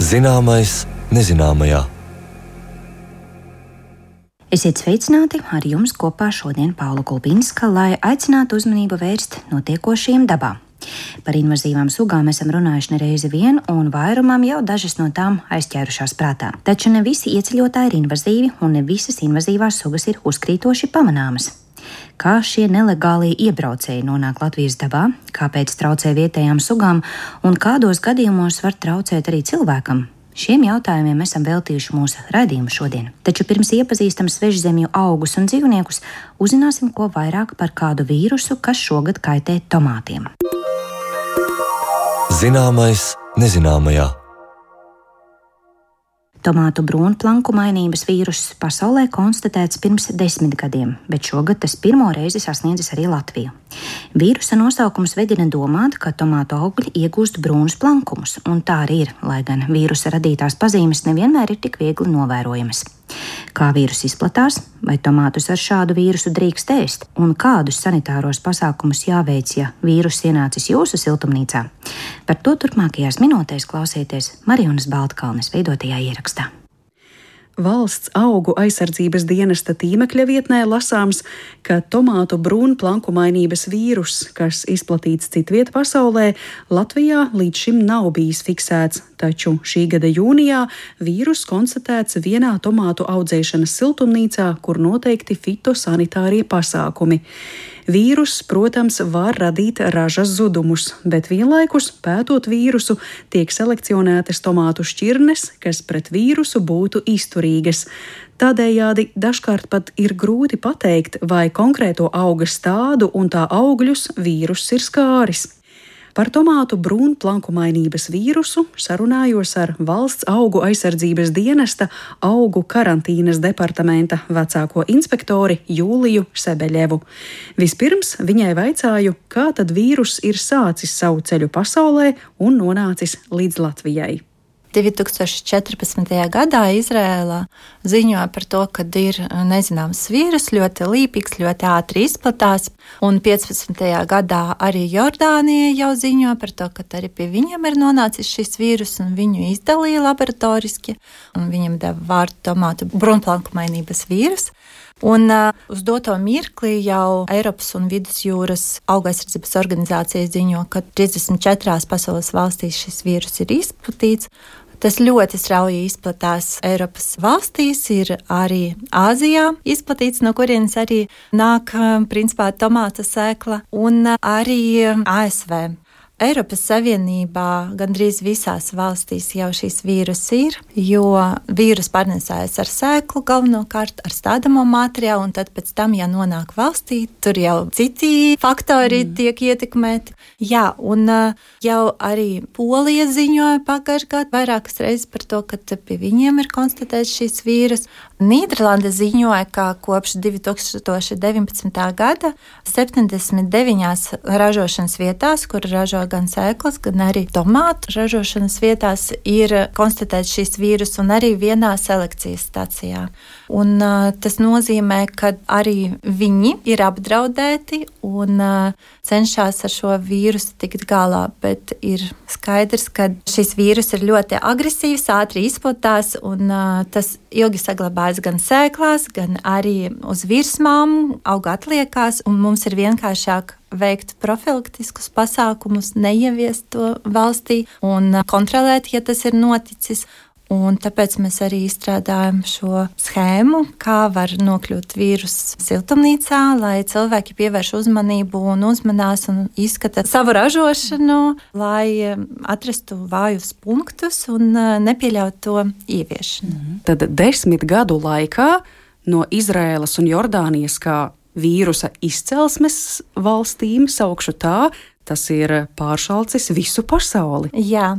Zināmais nezināmajā. Esiet sveicināti, ar jums kopā šodien Paula Kulbinska, lai aicinātu uzmanību vērst notiekošajiem dabā. Par invazīvām sugām esam runājuši nereizi vien, un vairumam jau dažas no tām aizķērušās prātā. Taču ne visi ieceļotāji ir invazīvi, un ne visas invazīvās sugas ir uzkrītoši pamanāmas. Kā šie nelegālie iebraucēji nonāk Latvijas dabā, kāpēc traucē vietējām sugām, un kādos gadījumos var traucēt arī cilvēkam? Šiem jautājumiem esam veltījuši mūsu raidījumu šodien. Taču pirms iepazīstam svežzemju augus un dzīvniekus, uzzināsim ko vairāk par kādu vīrusu, kas šogad kaitē tomātiem. Zināmais nezināmajā. Tomātu brūnplanku mainības vīruss pasaulē konstatēts pirms 10 gadiem, bet šogad tas pirmo reizi sasniedzis arī Latviju. Vīrusa nosaukums vedina domāt, ka tomātu augļi iegūst brūnus plankumus, un tā arī ir, lai gan vīrusa radītās pazīmes nevienmēr ir tik viegli novērojamas. Kā vīrus izplatās, vai tomātus ar šādu vīrusu drīkst ēst, un kādus sanitāros pasākumus jāveic, ja vīrus ienācis jūsu siltumnīcā? Par to turpmākajās minūtēs klausieties Marijonas Baltkalnes veidotajā ierakstā. Valsts augu aizsardzības dienesta tīmekļa vietnē lasāms, ka tomātu brūnplanku mainības vīrus, kas izplatīts citviet pasaulē, Latvijā līdz šim nav bijis fiksēts, taču šī gada jūnijā vīrus konstatēts vienā tomātu audzēšanas siltumnīcā, kur noteikti fitosanitārie pasākumi. Vīrus, protams, var radīt ražas zudumus, bet vienlaikus, pētot vīrusu, tiek selekcionētas tomātu šķirnes, kas pret vīrusu būtu izturīgas. Tādējādi dažkārt pat ir grūti pateikt, vai konkrēto auga stādu un tā augļus vīruss ir skāris. Par tomātu brūnplanku mainības vīrusu sarunājos ar Valsts augu aizsardzības dienesta augu karantīnas departamenta vecāko inspektori Jūliju Sebeļevu. Vispirms viņai vaicāju, kā tad vīrus ir sācis savu ceļu pasaulē un nonācis līdz Latvijai. 2014. gadā Izrēlā ziņoja par to, ka ir nezināms vīrus, ļoti līpīgs, ļoti ātri izplatās, un 15. gadā arī Jordānija jau ziņoja par to, ka arī pie viņiem ir nonācis šis vīrus, un viņu izdalīja laboratoriski, un viņam deva vārdu tomātu brūnplanku mainības vīrus. Un uz doto mirkli jau Eiropas un Vidusjūras auga aizsardzības organizācija ziņo, ka 34 pasaules valstīs šis vīrus ir izplatīts. Tas ļoti strauji izplatās Eiropas valstīs, ir arī Āzijā izplatīts, no kurienes arī nāk principā tomāta sēkla, un arī ASV. Eiropas Savienībā gandrīz visās valstīs jau šīs vīrus ir, jo vīrus pārnesājas ar sēklu galvenokārt, ar stādamo materiālu, un tad pēc tam, ja nonāk valstī, tur jau citi faktori tiek ietekmēti. Jā, un jau arī Polija ziņoja pagājušajā gadā vairākas reizes par to, ka pie viņiem ir konstatēts šis vīrus. Nīderlande ziņoja, ka kopš 2019. gada 79 ražošanas vietās, kur ražo gan sēklas, gan arī tomātu ražošanas vietās, ir konstatēts šis vīrus, un arī vienā selekcijas stacijā. Un tas nozīmē, ka arī viņi ir apdraudēti un cenšas ar šo vīrusu tikt galā, bet ir skaidrs, ka šis vīrus ir ļoti agresīvs, ātri izplatās, un tas ilgi saglabājas gan sēklās, gan arī uz virsmām, auga atliekās, un mums ir vienkāršāk veikt profilaktiskus pasākumus, neieviest to valstī un kontrolēt, ja tas ir noticis. Un tāpēc mēs arī izstrādājam šo schēmu, kā var nokļūt vīruss siltumnīcā, lai cilvēki pievērš uzmanību un uzmanās un izskata savu ražošanu, lai atrastu vājus punktus un nepieļaut to ieviešanu. Tad 10 gadu laikā no Izraēlas un Jordānijas kā vīrusa izcelsmes valstīm, saukšu tā, tas ir pāršalcis visu pasauli. Jā.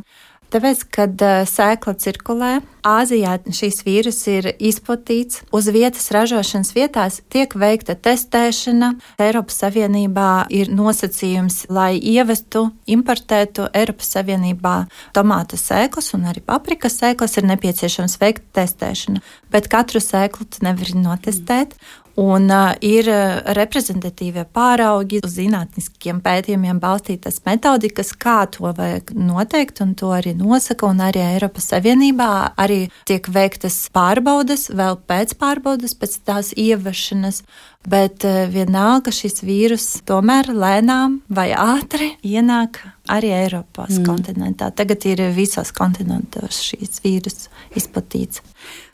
Tāpēc, kad sēkla cirkulē, Āzijā šīs vīrus ir izplatīts. Uz vietas ražošanas vietās tiek veikta testēšana. Eiropas Savienībā ir nosacījums, lai ievestu, importētu Eiropas Savienībā tomātu sēklas un arī paprikas sēklas, ir nepieciešams veikt testēšanu. Bet katru sēklu tu nevari notestēt. Un ir reprezentatīvie pāraugi uz zinātniskiem pētījumiem balstītas metodikas, kā to vajag noteikt, un to arī nosaka, un arī Eiropas Savienībā arī tiek veiktas pārbaudes, vēl pēc pārbaudes, pēc tās ieviešanas, bet vienalga šis vīrus tomēr lēnām vai ātri ienāk arī Eiropas kontinentā. Tagad ir visos kontinentos šīs vīrus izplatīts.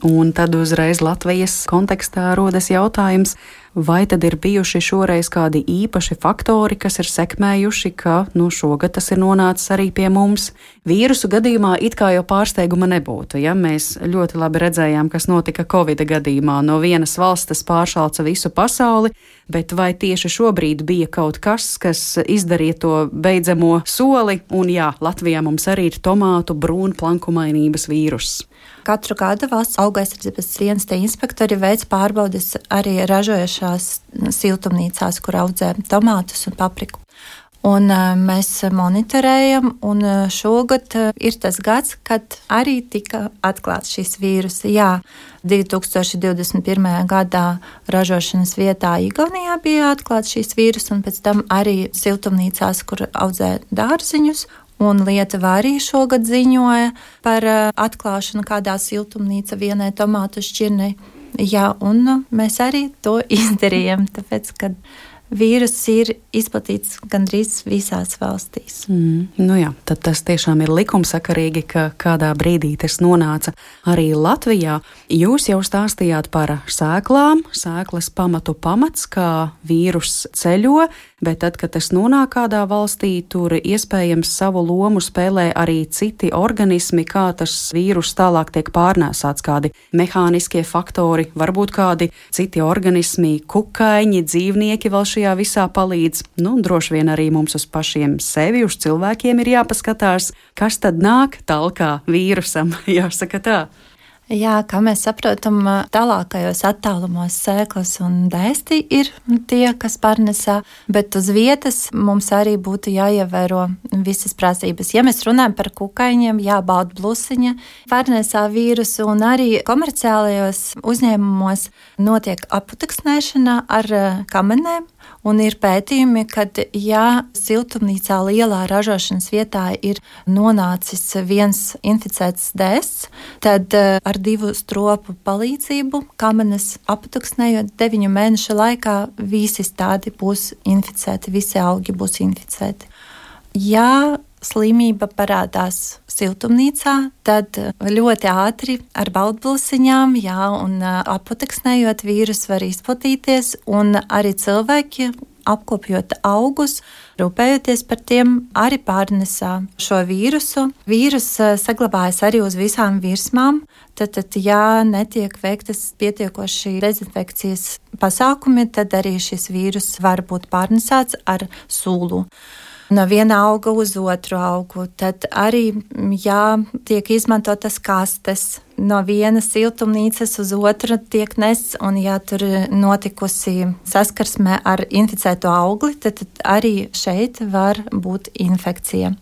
Un tad uzreiz Latvijas kontekstā rodas jautājums, vai tad ir bijuši šoreiz kādi īpaši faktori, kas ir sekmējuši, ka šogad tas ir nonācis arī pie mums. Vīrusu gadījumā it kā jau pārsteiguma nebūtu. Ja? Mēs ļoti labi redzējām, kas notika Covid gadījumā. No vienas valsts tas pāršalca visu pasauli, bet vai tieši šobrīd bija kaut kas izdarīja to beidzamo soli? Un jā, Latvijā mums arī ir tomātu brūnplankumainības vīruss. Katru gadu valsts auga aizsardzības dienesta inspektori veic pārbaudes arī ražojošās siltumnīcās, kur audzē tomātus un papriku. Un mēs monitorējam, un šogad ir tas gads, kad arī tika atklāts šis vīrus. Jā, 2021. gadā ražošanas vietā Igaunijā bija atklāts šis vīrus, un pēc tam arī siltumnīcās, kur audzē dārziņus. Un Lietuva arī šogad ziņoja par atklāšanu kādā siltumnīca vienai tomātu šķirnei. Jā, un mēs arī to izdarījām, tāpēc, ka vīrus ir izplatīts gandrīz visās valstīs. Jā, tad tas tiešām ir likumsakarīgi, ka kādā brīdī tas nonāca arī Latvijā. Jūs jau stāstījāt par sēklām, sēklas pamats, kā vīrus ceļo, bet tad, kad tas nonāk kādā valstī, tur iespējams savu lomu spēlē arī citi organismi, kā tas vīrus tālāk tiek pārnēsāts, kādi mehāniskie faktori, varbūt kādi citi organismi, kukaiņi, dzīvnieki vēl šajā visā palīdz. Droši vien arī mums uz pašiem sevi, uz cilvēkiem ir jāpaskatās, kas tad nāk talkā vīrusam, jāsaka tā. Jā, kā mēs saprotam, tālākajos attālumos sēklas un dēsti ir tie, kas pārnesā, bet uz vietas mums arī būtu jāievēro visas prasības. Ja mēs runājam par kukaiņiem, jābauda blusiņa, pārnesā vīrusu, un arī komerciālajos uzņēmumos notiek aputeksnēšana ar kamenēm. Un ir pētījumi, ka ja siltumnīcā lielā ražošanas vietā ir nonācis viens inficēts dēsts, tad ar 2 stropu palīdzību kamenes aputeksnējot 9 mēnešu laikā visi stādi būs inficēti, visi augi būs inficēti. Ja slimība parādās siltumnīcā, tad ļoti ātri ar baudblusiņām, un aputeksnējot vīrus var izplatīties, un arī cilvēki, apkopjot augus, rūpējoties par tiem, arī pārnesā šo vīrusu. Vīrus saglabājas arī uz visām virsmām, tad ja netiek veiktas pietiekoši dezinfekcijas pasākumi, tad arī šis vīrus var būt pārnesāts ar sūlu. No viena auga uz otru augu, tad arī, tiek izmantotas kastes, no vienas siltumnīcas uz otru tiek nests, un tur notikusi saskarsme ar inficēto augli, tad arī šeit var būt infekcija.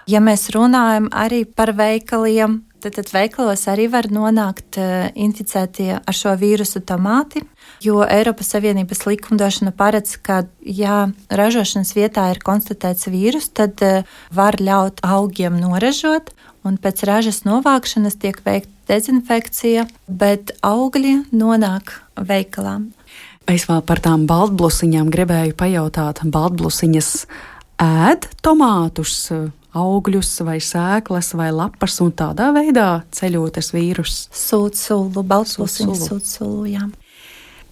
Ja mēs runājam arī par veikaliem, tad veikalos arī var nonākt inficētie ar šo vīrusu tomāti, jo Eiropas Savienības likumdošana paredz, ka, ja ražošanas vietā ir konstatēts vīrus, tad var ļaut augiem noražot, un pēc ražas novākšanas tiek veikta dezinfekcija, bet augļi nonāk veikalā. Es vēl par tām baltblusiņām gribēju pajautāt. Baltblusiņas ēd tomātus, augļus vai sēklas vai lapas, un tādā veidā ceļotas vīrus? Sūt sulu, baltblusiņas sūt sulu, jā.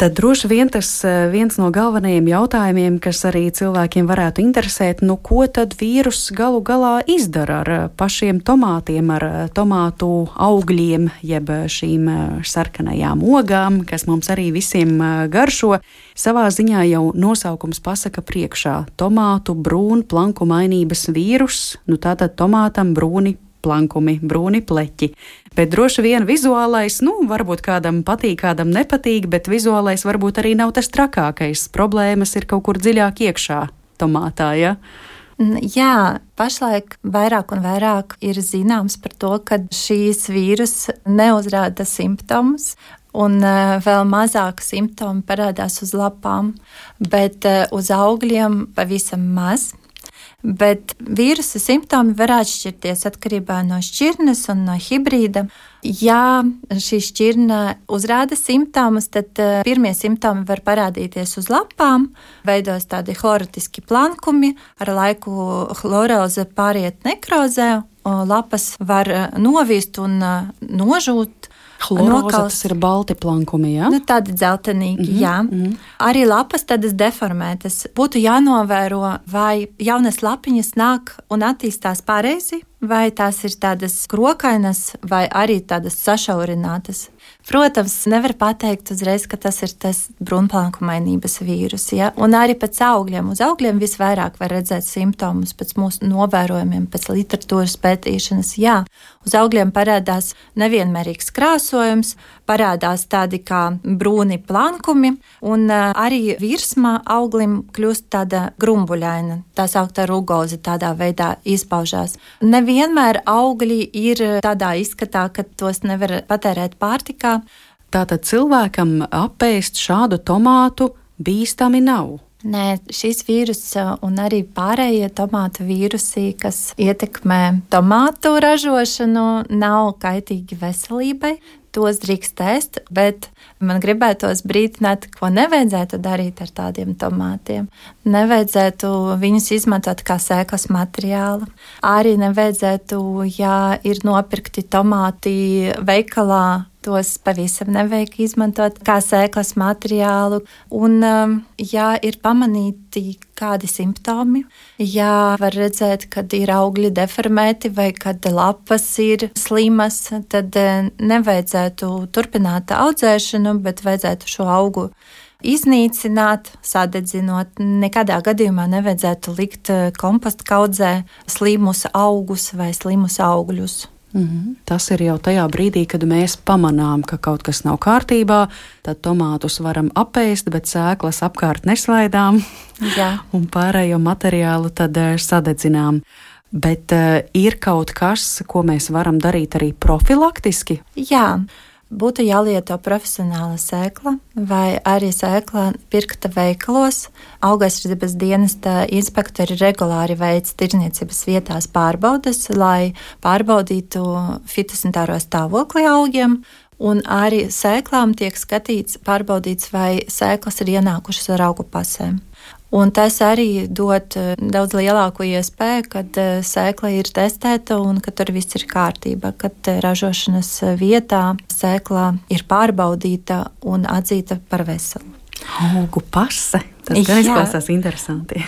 Tad droši vien tas viens no galvenajiem jautājumiem, kas arī cilvēkiem varētu interesēt, ko tad vīrus galu galā izdara ar pašiem tomātiem, ar tomātu augļiem, jeb šīm sarkanajām ogām, kas mums arī visiem garšo. Savā ziņā jau nosaukums pasaka priekšā - tomātu brūnplankumainības vīrus, tātad tomātam brūni plankumi, brūni pleķi. Bet droši vien vizuālais, varbūt kādam patīk, kādam nepatīk, bet vizuālais varbūt arī nav tas trakākais. Problēmas ir kaut kur dziļāk iekšā tomātā, ja? Jā, pašlaik vairāk un vairāk ir zināms par to, ka šīs vīrus neuzrāda simptomus, un vēl mazāk simptomi parādās uz lapām, bet uz augļiem pavisam maz. Bet vīrusa simptomi var atšķirties atkarībā no šķirnes un no hibrīda. Ja šī šķirne uzrāda simptomus, tad pirmie simptomi var parādīties uz lapām, veidos tādi chlorotiski plankumi, ar laiku chloroze pāriet nekrozē, lapas var novīst un nožūt. Chloroze, tas ir balti plankumi, jā? Tādi dzeltenīgi, jā. Arī lapas tādas deformētas. Būtu jānovēro, vai jaunas lapiņas nāk un attīstās pareizi, vai tās ir tādas krokainas, vai arī tādas sašaurinātas. Protams, nevar pateikt uzreiz, ka tas ir tas brūnplankumainības vīrus, ja? Un arī pēc augļiem. Uz augļiem visvairāk var redzēt simptomus pēc mūsu novērojumiem, pēc literatūras pētīšanas, jā. Uz augļiem parādās nevienmērīgs krāsojums, parādās tādi kā brūni plankumi, un arī virsma auglim kļūst tāda grumbuļaina, tā sauktā rugoze tādā veidā izpaužās. Nevienmēr augļi ir tādā izskatā, ka tos nevar patērēt pārtikā. Tātad cilvēkam apēst šādu tomātu bīstami nav? Nē, šis vīrus un arī pārējie tomātu vīrusi, kas ietekmē tomātu ražošanu, nav kaitīgi veselībai. Tos drīkst ēst, bet man gribētos brīdināt, ko nevajadzētu darīt ar tādiem tomātiem. Nevajadzētu viņus izmantot kā sēklas materiālu. Arī nevajadzētu, ja ir nopirkti tomāti veikalā, tos pavisam nevajag izmantot kā sēklas materiālu. Un, ja ir pamanīti kādi simptomi, ja var redzēt, kad ir augļi deformēti vai kad lapas ir slimas, tad nevajadzētu turpināt audzēšanu, bet vajadzētu šo augu iznīcināt, sadedzinot. Nekādā gadījumā nevajadzētu likt komposta kaudzē slimus augus vai slimus augļus. Tas ir jau tajā brīdī, kad mēs pamanām, ka kaut kas nav kārtībā, tad tomātus varam apēst, bet sēklas apkārt neslaidām. Jā. Un pārējo materiālu tad sadedzinām. Bet ir kaut kas, ko mēs varam darīt arī profilaktiski? Jā. Būtu jālieto profesionāla sēkla vai arī sēkla pirkta veikalos. Augaisardzības dienesta inspektori regulāri veic tirdzniecības vietās pārbaudes, lai pārbaudītu fitosanitāro stāvokli augiem. Un arī sēklām tiek skatīts, pārbaudīts, vai sēklas ir ienākušas ar augu pasēm. Un tas arī dod daudz lielāku iespēju, kad sēkla ir testēta un ka tur viss ir kārtībā, kad ražošanas vietā sēkla ir pārbaudīta un atzīta par veselu. Augu pase. Tas gan izklausās interesanti.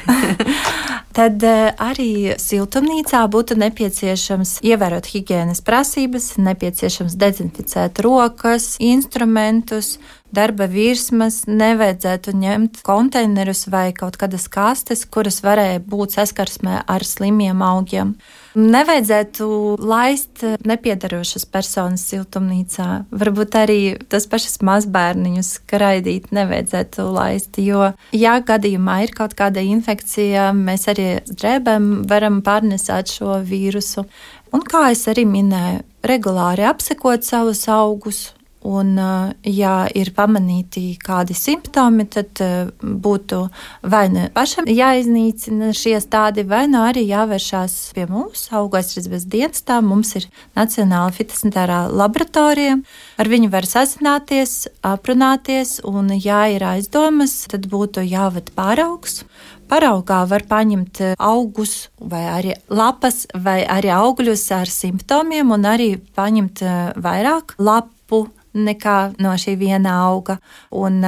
Tad arī siltumnīcā būtu nepieciešams ievērot higienas prasības, nepieciešams dezinficēt rokas, instrumentus, darba virsmas, nevajadzētu ņemt konteinerus vai kaut kādas kastes, kuras varēja būt saskarsmē ar slimiem augiem. Nevajadzētu laist nepiedarošas personas siltumnīcā. Varbūt arī tas pašas mazbērniņus skraidīt nevajadzētu laist, jo, ja gadījumā ir kaut kāda infekcija, mēs arī drēbēm varam pārnesāt šo vīrusu. Un kā es arī minēju, regulāri apsekot savus augus. Un, ja ir pamanīti kādi simptomi, tad būtu vai nu pašam jāiznīcina šie stādi, vai nu arī jāvēršās pie mums, Augaisardzības dienestā. Mums ir Nacionāla fitosanitārā laboratorija. Ar viņu var sazināties, aprunāties, un, ja ir aizdomas, tad būtu jāved pāraugs. Paraugā var paņemt augus vai arī lapas vai arī augļus ar simptomiem un arī paņemt vairāk lapu nekā no šī viena auga. Un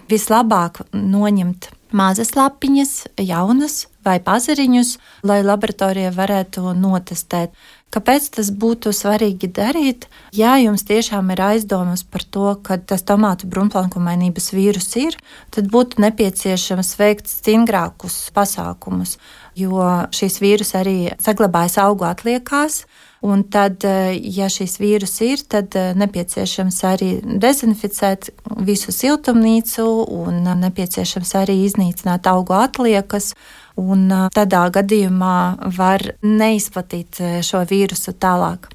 vislabāk noņemt mazas lapiņas, jaunas vai pazariņus, lai laboratorija varētu notestēt. Kāpēc tas būtu svarīgi darīt? Ja jums tiešām ir aizdomas par to, ka tas tomātu brūnplankumainības vīrus ir, tad būtu nepieciešams veikt stingrākus pasākumus, jo šīs vīrus arī saglabājas augu atliekās. Un tad, ja šīs vīrus ir, tad nepieciešams arī dezinficēt visu siltumnīcu un nepieciešams arī iznīcināt augu atliekas. Un tādā gadījumā var neizplatīt šo vīrusu. vīrusu tālāk.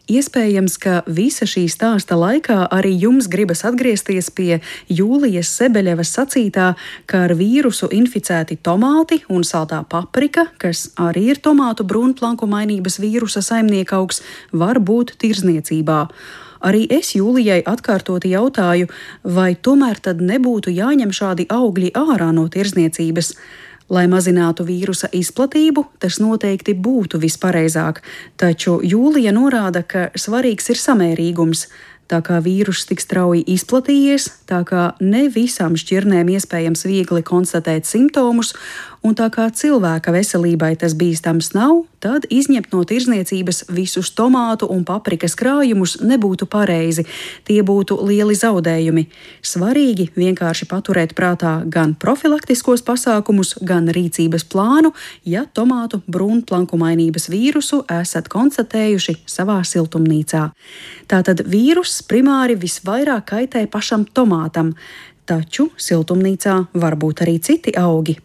Iespējams, ka visa šī stāsta laikā arī jums gribas atgriezties pie Jūlijas Sebeļevas sacītā, ka ar vīrusu inficēti tomāti un saltā paprika, kas arī ir tomātu brūnplankumainības vīrusa saimniekaugs, var būt tirzniecībā. Arī es Jūlijai atkārtoti jautāju, vai tomēr tad nebūtu jāņem šādi augļi ārā no tirzniecības. Lai mazinātu vīrusa izplatību, tas noteikti būtu vispareizāk, taču Jūlija norāda, ka svarīgs ir samērīgums. Tā kā vīruss tik strauji izplatījies, tā kā ne visām šķirnēm iespējams viegli konstatēt simptomus, un tā kā cilvēka veselībai tas bīstams nav, tad izņemt no tirzniecības visus tomātu un paprikas krājumus nebūtu pareizi. Tie būtu lieli zaudējumi. Svarīgi vienkārši paturēt prātā gan profilaktiskos pasākumus, gan rīcības plānu, ja tomātu brūnplankumainības vīrusu esat konstatējuši savā siltumnīcā. Tātad vīruss primāri visvairāk kaitē pašam tomātam, taču siltumnīcā var būt arī citi augi.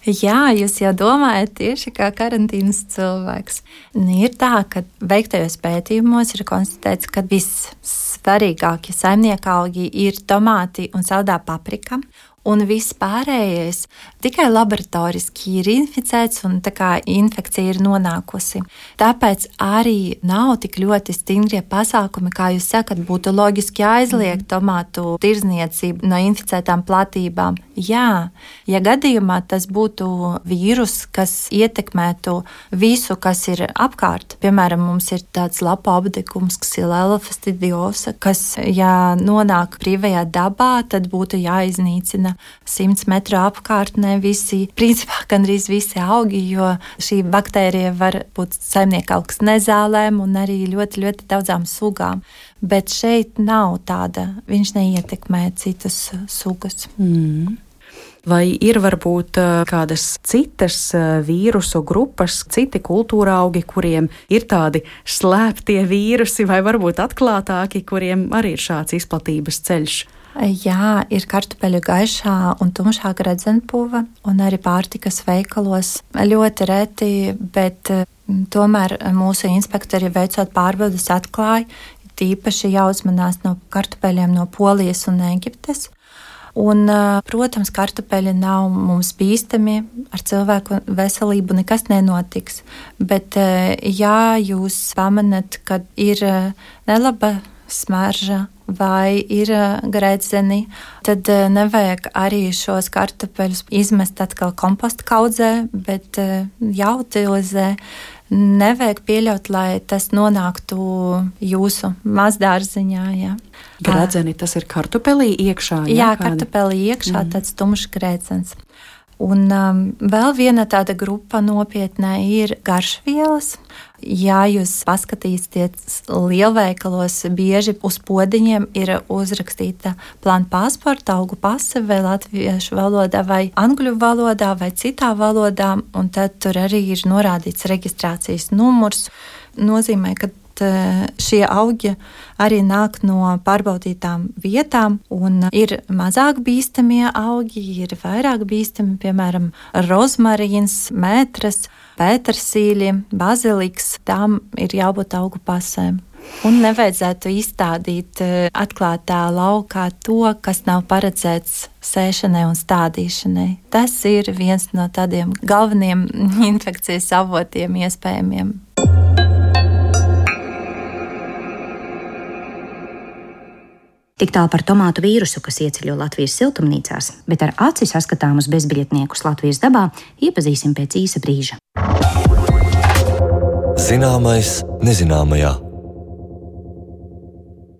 Jā, jūs jau domājat tieši kā karantīnas cilvēks. Ir tā, ka veiktajos pētījumos ir konstatēts, ka vissvarīgākie saimniekaugi ir tomāti un saldā paprika. Un viss pārējais tikai laboratoriski ir inficēts un tā kā infekcija ir nonākusi. Tāpēc arī nav tik ļoti stingrie pasākumi, kā jūs sakat, būtu loģiski aizliegt tomātu tirzniecību no inficētām platībām. Jā, ja gadījumā tas būtu vīrus, kas ietekmētu visu, kas ir apkārt. Piemēram, mums ir tāds lapu apdegums, Xylella fastidiosa, kas, ja nonāk brīvajā dabā, tad būtu jāiznīcina 100 metru apkārtnē principā gandrīz visi augi, jo šī baktērija var būt saimniekaugs nezālēm un arī ļoti, ļoti daudzām sugām. Bet šeit nav tāda, viņš neietekmē citas sugas. Vai ir varbūt kādas citas vīrusu grupas, citi kultūra augi, kuriem ir tādi slēptie vīrusi vai varbūt atklātāki, kuriem arī ir šāds izplatības ceļš? Jā, ir kartupeļu gaišā un tumšā gredzenpuva, un arī pārtikas veikalos ļoti reti, bet tomēr mūsu inspektori veicot pārbaudes atklāja, tīpaši jāuzmanās no kartupeļiem no Polijas un Ēģiptes. Un, protams, kartupeļi nav mums bīstami, ar cilvēku veselību nekas nenotiks, bet ja jūs pamanat, ka ir nelaba smarža vai ir gredzeni, tad nevajag arī šos kartupeļus izmest atkal komposta kaudzē, bet jāutilizē. Nevajag pieļaut, lai tas nonāktu jūsu mazdārziņā. Jā. Gredzeni, tas ir kartupelī iekšā? Jā, kartupelī iekšā tāds tumšs gredzens. Un vēl viena tāda grupa nopietnā ir garšvielas. Ja jūs paskatīsieties lielveikalos, bieži uz podiņiem ir uzrakstīta plāna pasporta, augu pase vai latviešu valodā vai angļu valodā vai citā valodā, un tad tur arī ir norādīts reģistrācijas numurs. Nozīmē, ka šie augi arī nāk no pārbaudītām vietām, un ir mazāk bīstamie augi, ir vairāk bīstami, piemēram, rozmarīns, mētras, pētersīļi, baziliks, tām ir jābūt augu pasēm. Un nevajadzētu izstādīt atklātā laukā to, kas nav paredzēts sēšanai un stādīšanai. Tas ir viens no tādiem galveniem infekcijas avotiem iespējamiem. Tik tālu par tomātu vīrusu, kas ieceļo Latvijas siltumnīcās, bet ar aci saskatāmus bezbiļetniekus Latvijas dabā iepazīsim pēc īsa brīža. Zināmais nezināmajā.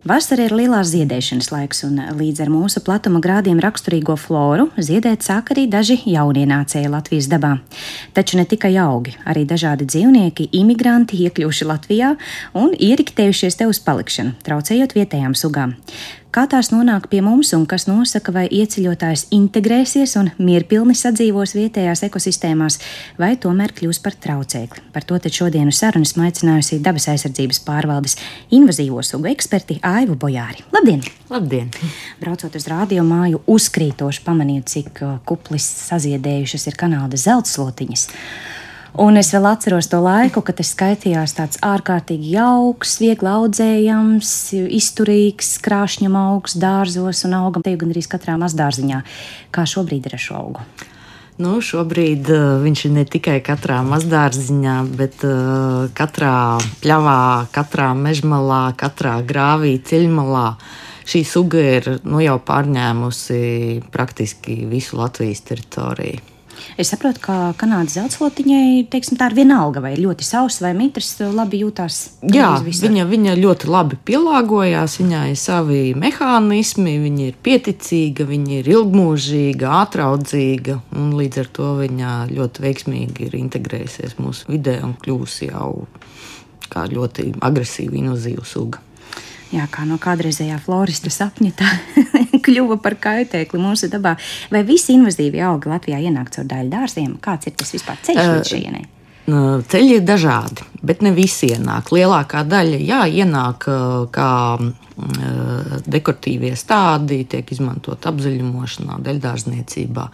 Vasara ir lielās ziedēšanas laiks, un līdz ar mūsu platuma grādiem raksturīgo floru ziedēt sāk arī daži jaunienācēji Latvijas dabā. Taču ne tikai augi, arī dažādi dzīvnieki, imigranti iekļuvuši Latvijā un ieriktējušies te uz palikšanu, traucējot vietējām sugām. Kā tās nonāk pie mums un kas nosaka, vai ieceļotājs integrēsies un mierpilni sadzīvos vietējās ekosistēmās, vai tomēr kļūs par traucēkli. Par to tad šodienu sarunu esmu aicinājusi Dabas aizsardzības pārvaldes invazīvo sugu eksperti Aivu Bojāri. Labdien! Labdien! Braucot uz radio māju, uzkrītoši pamanīju, cik kuplis saziedējušas ir Kanādas zeltslotiņas. Un es vēl atceros to laiku, kad tas skaitījās tāds ārkārtīgi jauks, viegli audzējams, izturīgs, krāšņam augs dārzos un augam te gan arī katrā mazdārziņā. Kā šobrīd ir ar šo augu? Nu, šobrīd viņš ir ne tikai katrā mazdārziņā, bet katrā pļavā, katrā mežmalā, katrā grāvī, ceļmalā. Šī suga ir jau pārņēmusi praktiski visu Latvijas teritoriju. Es saprotu, ka Kanādas zeltslotiņai, teiksim, tā ir vienalga, vai ļoti sausa vai mitrs, labi jūtās. Jā, viņa ļoti labi pielāgojās, viņai ir savi mehānismi, viņa ir pieticīga, viņa ir ilgmūžīga, ātraudzīga, un līdz ar to viņa ļoti veiksmīgi ir integrējusies mūsu vidē un kļūsi jau kā ļoti agresīva, invazīva suga. Jā, kā no kādreizējā florista sapņa tā kļuva par kaitēkli mūsu dabā. Vai visi invazīvi augi Latvijā ienāk caur daļu dārziem? Kāds ir tas vispār ceļš līdz šejienei? Ceļi ir dažādi, bet ne visi ienāk. Lielākā daļa ienāk kā dekoratīvie stādi, tiek izmantot apzaļumošanā, daļdārzniecībā.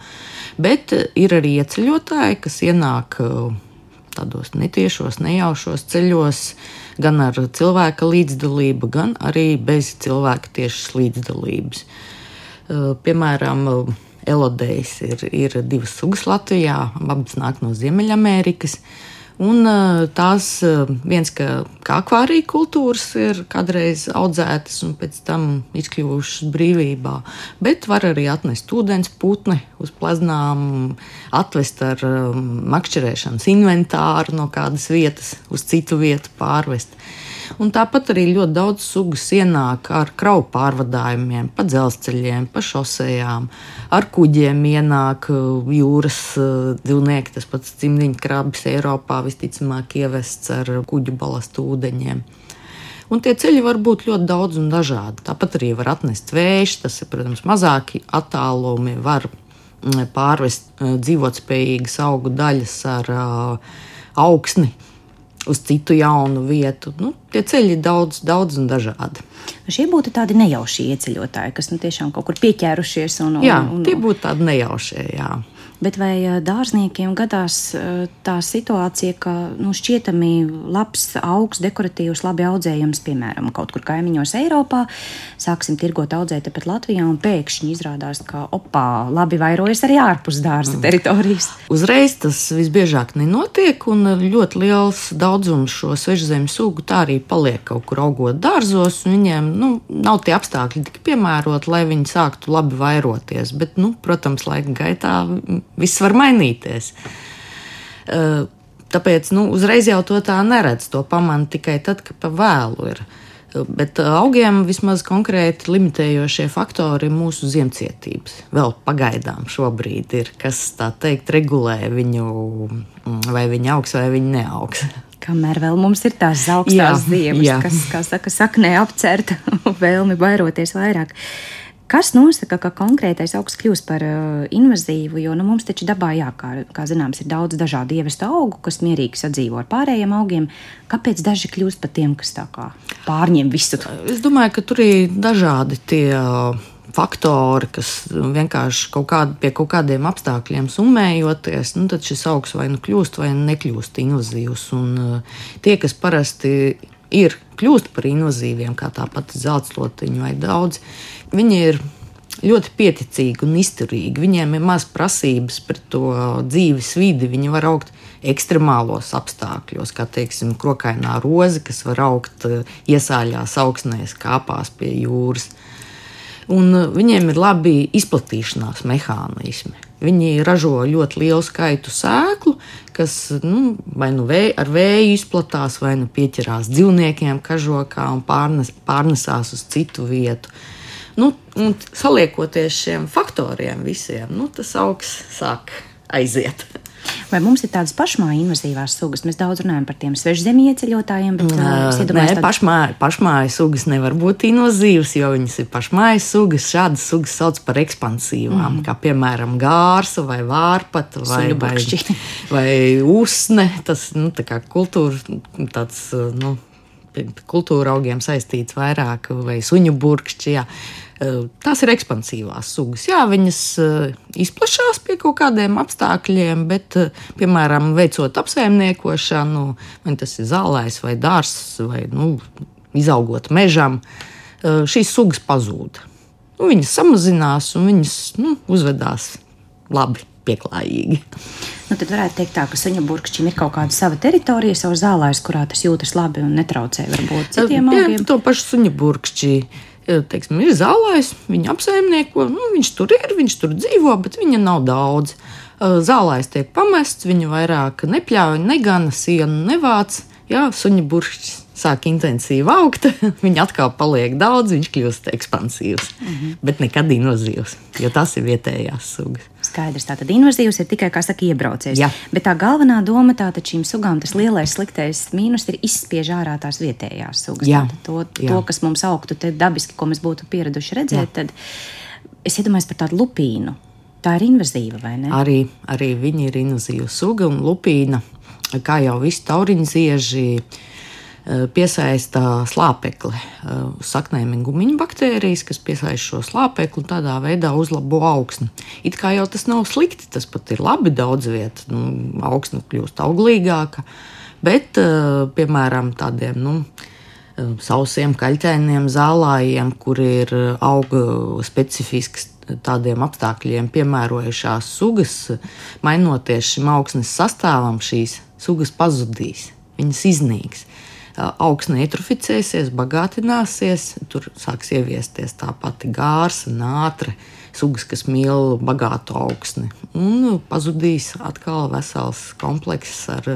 Bet ir arī ieceļotāji, kas ienāk tādos netiešos, nejaušos ceļos, gan ar cilvēka līdzdalību, gan arī bez cilvēka tiešas līdzdalības. Piemēram, elodejs ir 2 sugas Latvijā, abas nāk no Ziemeļamerikas. Un tās viens, ka akvārija kultūras ir kādreiz audzētas un pēc tam izkļuvušas brīvībā, bet var arī atnest ūdens putni uz pleznām, atvest ar makšķerēšanas inventāru no kādas vietas uz citu vietu pārvest. Un tāpat arī ļoti daudz sugas ienāk ar kravu pārvadājumiem, pa dzelzceļiem, pa šosejām, ar kuģiem ienāk jūras dzīvnieki, tas pats cimdiņkrabis Eiropā visticamāk ievests ar kuģu balastu ūdeņiem. Un tie ceļi var būt ļoti daudz un dažādi. Tāpat arī var atnest vējš, tas ir, protams, mazāki attālumi, var pārvest dzīvotspējīgas augu daļas ar augsni uz citu jaunu vietu. Tie ceļi ir daudz un dažādi. Šie būtu tādi nejaušie ieceļotāji, kas tiešām kaut kur pieķērušies. Jā, tie būtu tādi nejaušie, jā. Bet vai dārzniekiem gadās tā situācija, ka šķietami labs augs, dekoratīvs, labi audzējams, piemēram, kaut kur kaimiņos Eiropā, sāksim tirgot audzēt tepat Latvijā un pēkšņi izrādās, ka labi vairojas arī ārpus dārza teritorijas? Uzreiz tas visbiežāk nenotiek, un ļoti liels daudzums šo svežzemes sugu tā arī paliek kaut kur augot dārzos, un viņiem nav tie apstākļi tik piemēroti, lai viņi sāktu labi vairoties. Bet, protams, laika gaitā viss var mainīties. Tāpēc uzreiz jau to tā neredz, to pamana tikai tad, kad pa vēlu ir. Bet augiem vismaz konkrēti limitējošie faktori ir mūsu ziemcietības. Vēl pagaidām šobrīd ir, kas tā teikt regulē viņu, vai viņi augs vai viņi neaugs. Kamēr vēl mums ir tās augstās ziemas, kas, kā saka, saknē apcerta vēlmi vairoties vairāk. Kas nosaka, ka konkrētais augs kļūst par invazīvu, jo mums taču dabā, kā zināms, ir daudz dažādu ievestu augu, kas mierīgi sadzīvo ar pārējiem augiem. Kāpēc daži kļūst par tiem, kas tā kā pārņem visu? Es domāju, ka tur ir dažādi tie faktori, kas vienkārši pie kaut kādiem apstākļiem summējoties, tad šis augs vai kļūst vai nekļūst invazīvs. Un tie, kas parasti kļūst par invazīviem, kā tāpat zeltslotiņu vai daudz, viņi ir ļoti pieticīgi un izturīgi. Viņiem ir maz prasības pret to dzīves vidi. Viņi var augt ekstremālos apstākļos, kā, teiksim, krokainā roze, kas var augt iesāļās augsnēs, kāpās pie jūras. Un viņiem ir labi izplatīšanās mehānismi. Viņi ražo ļoti lielu skaitu sēklu, kas vai ar vēju izplatās, vai pieķerās dzīvniekiem kažokā un pārnesās uz citu vietu. Un saliekoties šiem faktoriem visiem, tas augs sāk aiziet. Vai mums ir tādas pašmāju invazīvās sugas? Mēs daudz runājam par tiem svežzemju ieceļotājiem, bet pašmāju sugas nevar būt invazīvas, jo viņas ir pašmāju sugas. Šādas sugas sauc par ekspansīvām, kā piemēram gārsa vai vārpata vai usne. Tas tā kā kultūra augiem saistīts vairāk, vai suņu burkšķi. Tās ir ekspansīvās sugas. Jā, viņas izplašās pie kaut kādiem apstākļiem, bet, piemēram, veicot apsaimniekošanu, vai tas ir zālājs vai dārzs, vai izaugot mežam, šīs sugas pazūd. Viņas samazinās un viņas uzvedās labi, pieklājīgi. Tad varētu teikt tā, ka suņa burkšķim ir kaut kāda sava teritorija, savu zālājs, kurā tas jūtas labi un netraucē varbūt citiem augiem. To pašu suņa burkšķi, teiksim, ir zālājs, viņa apsaimnieko, viņš tur ir, viņš tur dzīvo, bet viņa nav daudz. Zālājs tiek pamests, viņu vairāk nepļauj, negana, sienu nevāc. Jā, suņa burkšķis sāk intensīvi augt, viņa atkal paliek daudz, viņš kļūst ekspansīvs, bet nekad invazīvs, jo tas ir vietējās sugas. Skaidrs, tātad invazīvs ir tikai, kā saka, iebraucējs. Jā. Bet tā galvenā doma tātad šīm sugām, tas lielais sliktais mīnus ir izspiež ārā tās vietējās sugas. Jā. To, kas mums augtu te dabiski, ko mēs būtu pieraduši redzēt, tad es iedomājos par tādu lupīnu. Tā ir invazīva, vai ne? Arī viņa ir invazīva suga un lupīna, kā jau visi tauriņzieži, piesaista slāpekli uz saknēm un gumiņu baktērijas, kas piesaista šo slāpekli un tādā veidā uzlabo augsni. It kā jau tas nav slikti, tas pat ir labi daudz viet, augsne kļūst auglīgāka, bet, piemēram, tādiem, sausiem, kaļķainiem zālājiem, kur ir auga specifisks tādiem apstākļiem piemērojušās sugas, mainoties šim augsnes sastāvam, šīs sugas pazudīs, viņas iznīks. Augsne eutroficēsies, bagātināsies, tur sāks ieviesties tā pati gārsa, nātre, sugas, kas mīl bagātu augsni. Un pazudīs atkal vesels komplekss ar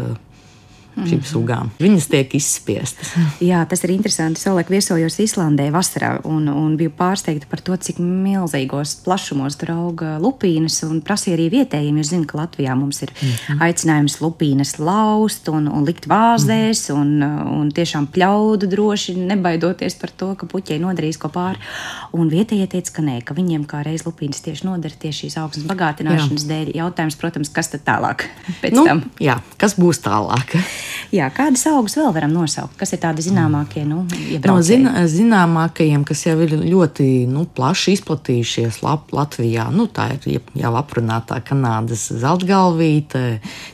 šīm sugām. Viņas tiek izspiestas. Jā, tas ir interesanti. Savulaik viesojos Islandē vasarā un biju pārsteigta par to, cik milzīgos plašumos tur auga lupīnas, un prasīja arī vietējiem, jo zinu, ka Latvijā mums ir aicinājums lupīnas laust un likt vāzēs un tiešām pļaudu droši, nebaidoties par to, ka puķei nodarīs ko pāri. Un vietējie teica, ka nē, ka viņiem kā reiz lupīnas tieši nodara tieši šīs augsnes bagātināšanas dēļ. Jautājums, protams, kas tad tālāk pēc tam? Jā, kas būs tālāk? Jā, kādas augus vēl varam nosaukt? Kas ir tādi zināmākie iebraucēji? No zināmākajiem, kas jau ir ļoti plaši izplatījušies Latvijā, tā ir jau aprunātā Kanādas zeltgalvīte,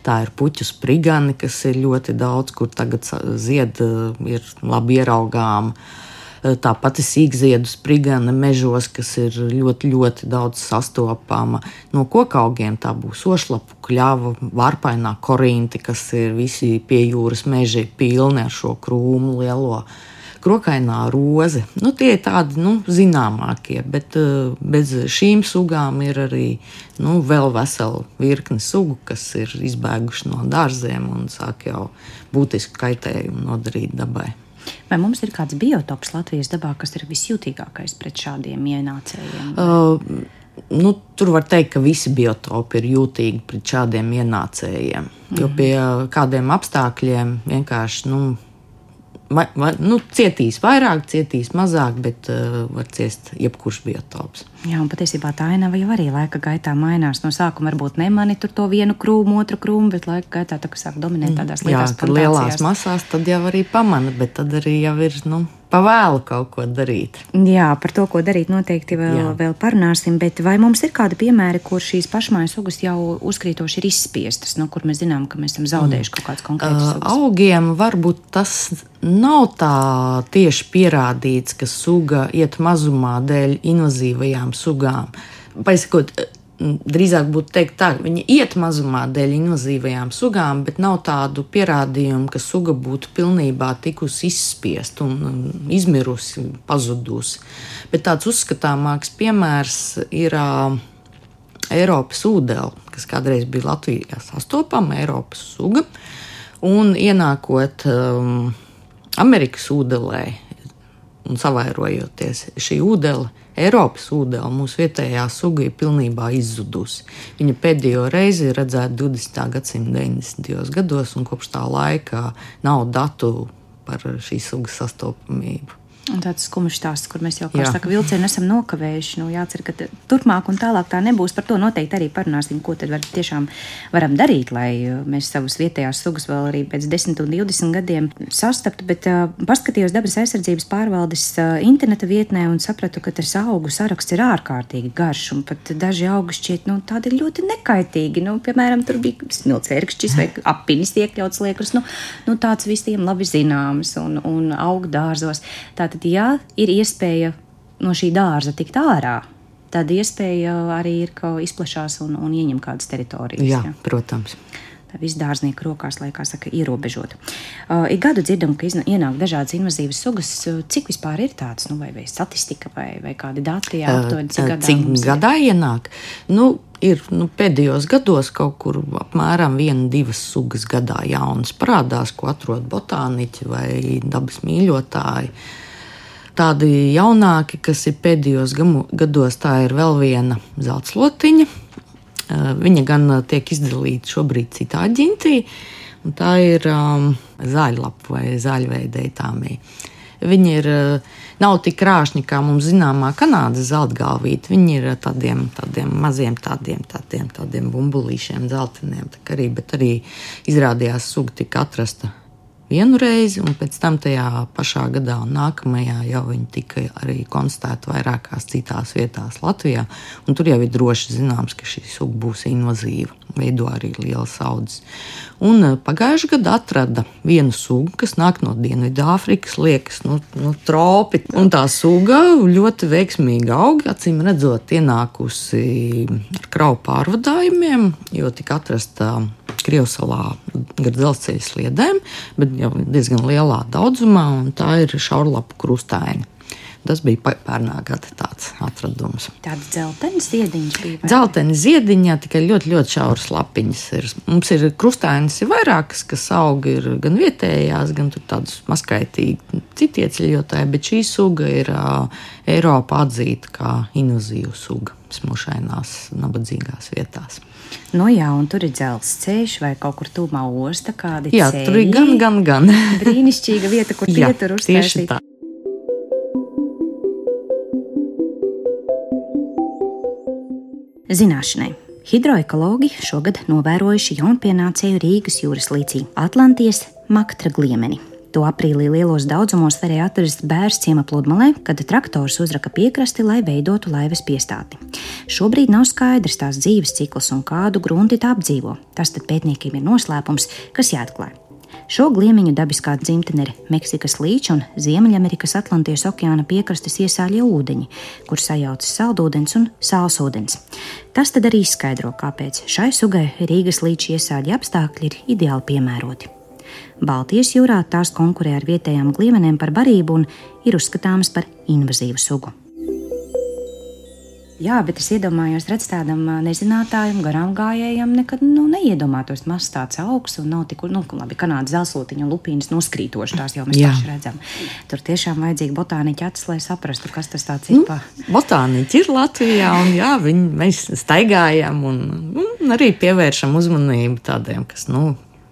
tā ir puķu sprigani, kas ir ļoti daudz, kur tagad zied ir labi ieraugām. Tāpat ir sīkziedu sprigane mežos, kas ir ļoti, ļoti daudz sastopama. No kokaugiem tā būs ošlapu kļava, varpainā korinti, kas ir visi pie jūras meži pilni ar šo krūmu lielo. Krokainā roze. Tie ir tādi zināmākie, bet bez šīm sugām ir arī vēl vesela virkne sugu, kas ir izbēguši no dārziem un sāk jau būtisku kaitējumu nodarīt dabai. Vai mums ir kāds biotops Latvijas dabā, kas ir visjūtīgākais pret šādiem ienācējiem? Tur var teikt, ka visi biotopi ir jūtīgi pret šādiem ienācējiem. Jo pie kādiem apstākļiem vienkārši cietīs vairāk, cietīs mazāk, bet var ciest jebkurš biotops. Jā, un patiesībā tā ainava jau arī laika gaitā mainās. No sākuma varbūt nemani tur to vienu krūmu, otru krūmu, bet laika gaitā tā, ka sāk dominēt tādās lielās plantācijās. Lielās masās tad jau arī pamana, bet tad arī jau ir, pavēlu kaut ko darīt. Jā, par to, ko darīt noteikti vēl parunāsim, bet vai mums ir kādi piemēri, kur šīs pašmājas sugas jau uzkrītoši ir izspiestas, kur mēs zinām, ka mēs esam zaudējuši kaut kādas konkrētas sugas? Augiem varbūt tas nav tā tieši pierādīts, ka suga iet mazumā dēļ invazīvajām sugām. Paisakot, drīzāk būtu teikt tā, ka viņi iet mazumā dēļ invazīvajām sugām, bet nav tādu pierādījumu, ka suga būtu pilnībā tikusi izspiest un izmirusi, pazudusi. Bet tāds uzskatāmāks piemērs ir Eiropas ūdele, kas kādreiz bija Latvijā sastopama Eiropas suga, un ienākot Amerikas ūdelē un savairojoties šī ūdele, Eiropas ūdele, mūsu vietējā suga ir pilnībā izzudusi. Viņa pēdējo reizi ir redzēta 20. gadsimta 90. gados, un kopš tā laika nav datu par šīs sugas sastopamību. Un tāds skumjš stāsts, kur mēs jau, kā saka, vilcienu esam nokavējuši. Jācer, ka turpmāk un tālāk tā nebūs. Par to noteikti arī parunāsim, ko tad tiešām varam darīt, lai mēs savus vietējās sugas vēl arī pēc 10 un 20 gadiem sastaptu. Bet paskatījos dabas aizsardzības pārvaldes interneta vietnē un sapratu, ka tas augu saraksts ir ārkārtīgi garš. Un pat daži augi šķiet, tādi ļoti nekaitīgi. Piemēram, tur bija smilcvērkšķis vai apinis iekļauts liekas. Tāds visiem labi zināms un augu dārzos. Tātad, ja ir iespēja no šī dārza tikt ārā, tad iespēja arī ir, ka izplešās un ieņem kādas teritorijas. Jā, protams. Tā viss dārznieku rokās, lai, kā saka, ierobežot. Ik gadu dzirdam, ka ienāk dažādas invazīvas sugas. Cik vispār ir tāds, vai statistika vai kādi dati, aptuveni, cik gadā ienāk? Ir pēdējos gados kaut kur apmēram 1-2 sugas gadā jaunas parādās, ko atrod botāniķi vai dabas mīļotāji. Tādi jaunāki, kas ir pēdējos gados, tā ir vēl viena zeltslotiņa. Viņa gan tiek izdalīta šobrīd citā ģintī, un tā ir zaļlapu vai zaļveideitāmija. Viņi nav tik krāšņi, kā mums zināmā Kanādas zeltgalvīte. Viņi ir tādiem maziem tādiem bumbulīšiem, zeltiniem, bet arī izrādījās suga tika atrasta vienu reizi, un pēc tam tajā pašā gadā un nākamajā jau viņi tika arī konstatēti vairākās citās vietās Latvijā, un tur jau ir droši zināms, ka šī suga būs invazīva, veido arī lielas audzes. Un pagājušajā gadā atrada vienu sugu, kas nāk no Dienvidāfrikas, liekas, tropi, un tā suga ļoti veiksmīgi aug, acīm redzot, ienākusi ar kravu pārvadājumiem, jo tika atrasta Krievsalā gar dzelzceļa sliedēm, bet jau diezgan lielā daudzumā, un tā ir šaurlapu krustaini. Tas bija pērnā gada tāds atradums. Tāda dzeltena ziediņš bija? Dzeltena ziediņā tikai ļoti, ļoti šauras lapiņas ir. Mums ir krustainis ir vairākas, kas aug ir gan vietējās, gan tur tādas mazskaitīgi citi ieceļotāji, bet šī suga ir Eiropā atzīta kā invazīva suga smušainās, nabadzīgās vietās. Jā, un tur ir dzelzceļš vai kaut kur tūmā osta, kādi ceļi. Jā, tur ir gan. Brīnišķīga vieta, kur pietur uztaisīt. Tieši tā. Zināšanai. Hidroekologi šogad novērojuši jaunpienācēju Rīgas jūras līcī Atlantijas maktra gliemeni. To aprīlī lielos daudzumos varēja atrast Bērsciema pludmalē, kad traktors uzraka piekrasti, lai veidotu laivas piestāti. Šobrīd nav skaidrs tās dzīves cikls un kādu grunti tā apdzīvo. Tas tad pētniekiem ir noslēpums, kas jāatklāj. Šo gliemeņu dabiskā dzimtene ir Meksikas līča un Ziemeļamerikas Atlantijas okeāna piekrastes iesāļie ūdeņi, kur sajaucas saldūdens un sālsūdens. Tas tad arī izskaidro, kāpēc šai sugai Rīgas līča iesāļi apstākļi ir ideāli piemēroti. Baltijas jūrā tās konkurē ar vietējām gliemenēm par barību un ir uzskatāmas par invazīvu sugu. Jā, bet es iedomājos, redz tādam nezinātājam, garām gājējam, nekad neiedomātos mazs tāds augs un nav tik, labi, Kanādas zeltslotiņa un lupīnas noskrītoši, tās jau mēs paši redzam. Tur tiešām vajadzīgi botāniķi acis, lai saprastu, kas tas tāds ir. Botāniķi ir Latvijā un mēs staigājam un arī pievēršam uzmanību tādiem, kas,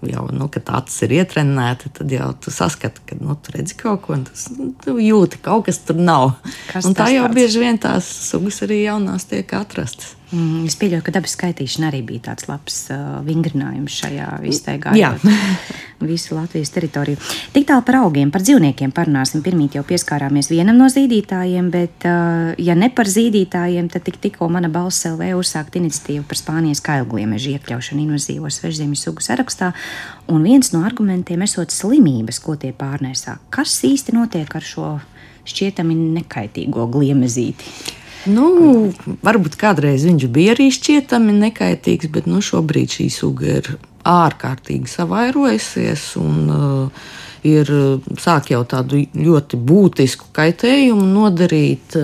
jau, kad acis ir ietrenēti, tad jau tu saskati, ka, tu redzi kaut ko, un tu jūti, kaut kas tur nav. Un tā jau bieži vien tās sugas arī jaunās tiek atrastas. Es pieļauju, ka dabas skaitīšana arī bija tāds labs vingrinājums šajā iztaigājot visu Latvijas teritoriju. Tik tālu par augiem, par dzīvniekiem parunāsim. Pirmīt jau pieskārāmies vienam no zīdītājiem, bet ja ne par zīdītājiem, tad tikko mana balss LV uzsākt iniciatīvu par Spānijas kailgliemežu iekļaušanu invazīvo svežzemju sugu sarakstā, un viens no argumentiem esot slimības, ko tie pārnēsā. Kas īsti notiek ar šo šķietami nekaitīgo gliemezīti? Varbūt kādreiz viņš bija arī šķietami nekaitīgs, bet šobrīd šī suga ir ārkārtīgi savairojusies un sāk jau tādu ļoti būtisku kaitējumu nodarīt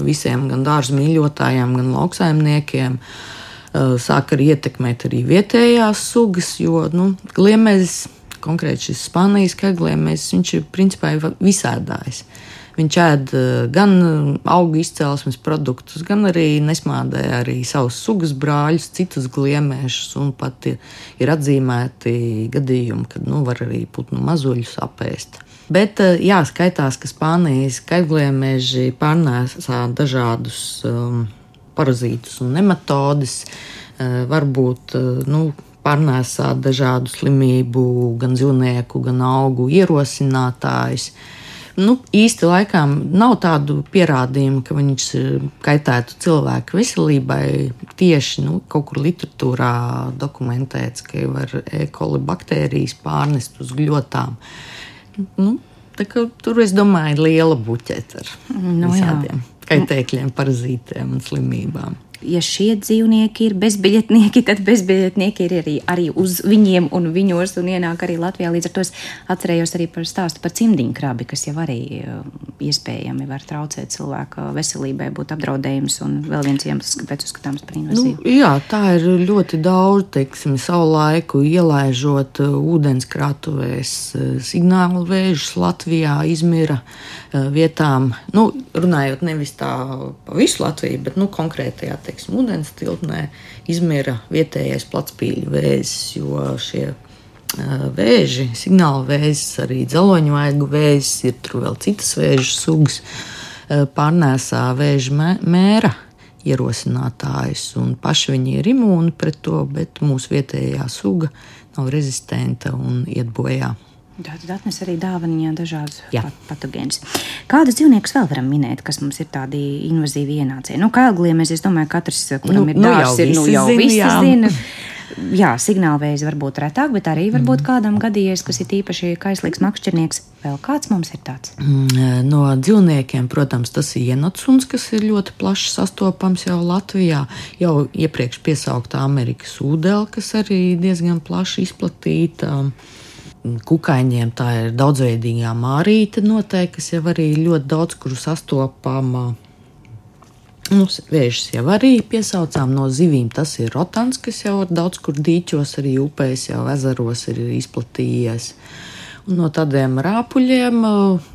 visiem gan dārza mīļotājiem, gan lauksaimniekiem. Sāk arī ietekmēt arī vietējās sugas, jo gliemezis, konkrēti šis Spānijas kailgliemezis, viņš ir principā visādājs. Viņš ēd gan augu izcelsmes produktus, gan arī nesmādē arī savus sugas brāļus, citus gliemēšus, un pat ir atzīmēti gadījumi, kad var arī putnu mazuļus apēst. Bet jāskaitās, ka Spānijas kaļgliemeži pārnēsā dažādus parazītus un nematodes, varbūt pārnēsā dažādu slimību, gan dzīvnieku, gan augu ierosinātājus. Īsti laikam nav tādu pierādījumu, ka viņš kaitētu cilvēku veselībai. Tieši kaut kur literatūrā dokumentēts, ka var E. coli baktērijas pārnest uz gļotām. Tā kā tur, es domāju, ir liela buķete ar visādiem kaitēkļiem, parazītiem un slimībām. Ja šie dzīvnieki ir bezbiļetnieki, tad bezbiļetnieki ir arī uz viņiem un viņos un ienāk arī Latvijā. Līdz ar to es atcerējos arī par stāstu par cimdiņkrabi, kas jau arī iespējami var traucēt cilvēka veselībai, būt apdraudējums un vēl viens iemesls, kāpēc uzskatāms par invazīvu. Jā, tā ir ļoti daudz, teiksim, savu laiku ielaižot ūdenskrātuvēs signālu vēžus Latvijā, Izmira vietām. Runājot nevis tā pa visu Latviju, bet konkrētajā, ūdens tilpnē Izmira vietējais platspīļu vēzis, jo šie vēži, signāla vēzis, arī dzeloņvaigu vēzis, ir tur vēl citas vēžu sugas, pārnēsā vēža mēra ierosinātājus, un paši viņi ir imūni pret to, bet mūsu vietējā suga nav rezistenta un iet bojā. Tātad atnes arī dāvaniņā dažādus patogēnus. Kādus dzīvniekus vēl varam minēt, kas mums ir tādi invazīvi ienācēji? Kailgliemeži, es domāju, katrs, kuram ir dārs, jau visi zina. Jā, signālvēzi varbūt retāk, bet arī varbūt kādam gadījies, kas ir īpaši kaislīgs makšķernieks. Vēl kāds mums ir tāds? No dzīvniekiem, protams, tas ir ienotsuns, kas ir ļoti plaši sastopams jau Latvijā. Jau iepriekš piesauktā Amerikas ūdele, kas arī diezgan plaši izplatīta. Kukaiņiem tā ir daudzveidīgā mārīte noteikti, kas jau arī ļoti daudz kuru sastopama. Vēžus jau arī piesaucām no zivīm. Tas ir rotans, kas jau daudz kur dīķos, arī upēs, jau ezeros ir izplatījies. Un no tādiem rāpuļiem,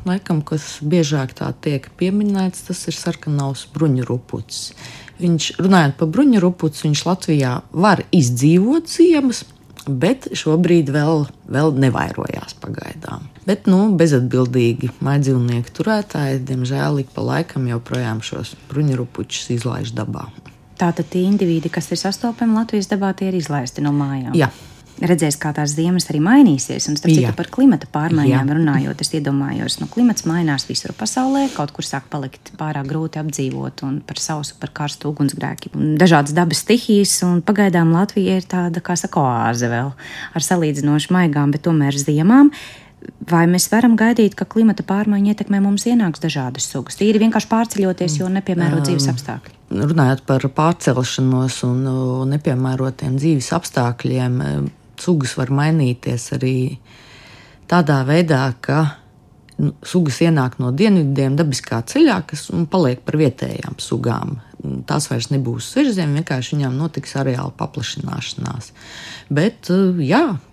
laikam, kas biežāk tā tiek pieminēts, tas ir sarkanaus bruņurupucis. Runājot par bruņurupuci, viņš Latvijā var izdzīvot ziemas, bet šobrīd vēl nevairojās pagaidām. Bet bezatbildīgi mājdzīvnieku turētāji, diemžēl, ik pa laikam joprojām šos bruņurupučus izlaiž dabā. Tātad tie indivīdi, kas ir sastopami Latvijas dabā, tie ir izlaisti no mājām? Jā. Redzēs, kā tās ziemas arī mainīsies, un starp citu par klimata pārmaiņām runājot, es iedomājos, klimats mainās visur pasaulē, kaut kur sāk palikt pārāk grūti apdzīvot un par sausu, par karstu ugunsgrēki un dažādas dabas stihijas, un pagaidām Latvija ir tāda, kā saka, oāze vēl ar salīdzinoši maigām, bet tomēr ziemām. Vai mēs varam gaidīt, ka klimata pārmaiņa ietekmē mums ienāks dažādas sugas? Tīri vienkārši pārceļoties, jo nepiemērot dzīves apstākļi. Runājot par pārcelšanos un nepiemērotiem dzīves apstākļiem, sugas var mainīties arī tādā veidā, ka sugas ienāk no dienvidiem dabiskā ceļā, kas paliek par vietējām sugām. Tās vairs nebūs svežzem, vienkārši viņām notiks areāla paplašināšanās. Bet,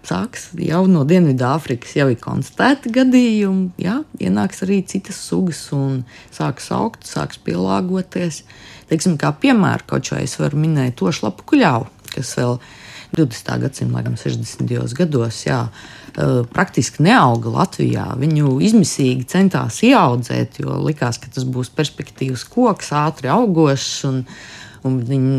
sāks jau no Dienvidāfrikas jau ir konstatēti gadījumi, ienāks arī citas sugas un sāks augt, sāks pielāgoties. Teiksim, kā piemēru kaut šo es varu minēt tošlapu kuļāvu, kas vēl 20. gadsimta, laikam 60. gados, praktiski neauga Latvijā. Viņu izmisīgi centās ieaudzēt, jo likās, ka tas būs perspektīvas koks, ātri augošs, un viņi